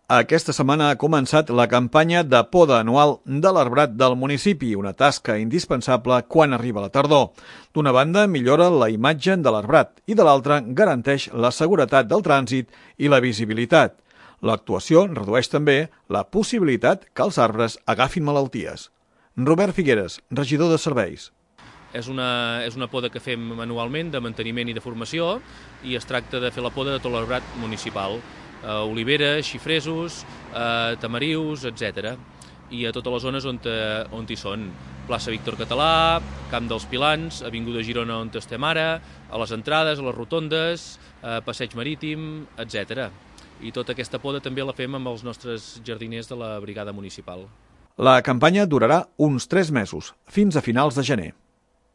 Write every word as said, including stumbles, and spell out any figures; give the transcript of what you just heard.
Aquesta setmana ha començat la campanya de poda anual de l'arbrat del municipi, una tasca indispensable quan arriba la tardor. D'una banda, millora la imatge de l'arbrat i de l'altra, garanteix la seguretat del trànsit i la visibilitat. L'actuació redueix també la possibilitat que els arbres agafin malalties. Robert Figueres, regidor de Serveis. És una, és una poda que fem anualment de manteniment i de formació i es tracta de fer la poda de tot l'arbrat municipal. Uh, oliveres, xifresos, uh, tamarius, etcètera. I a totes les zones on, te, on hi són. Plaça Víctor Català, Camp dels Pilans, Avinguda Girona on estem ara, a les entrades, a les rotondes, uh, Passeig Marítim, etcètera. I tota aquesta poda també la fem amb els nostres jardiners de la brigada municipal. La campanya durarà uns tres mesos, fins a finals de gener.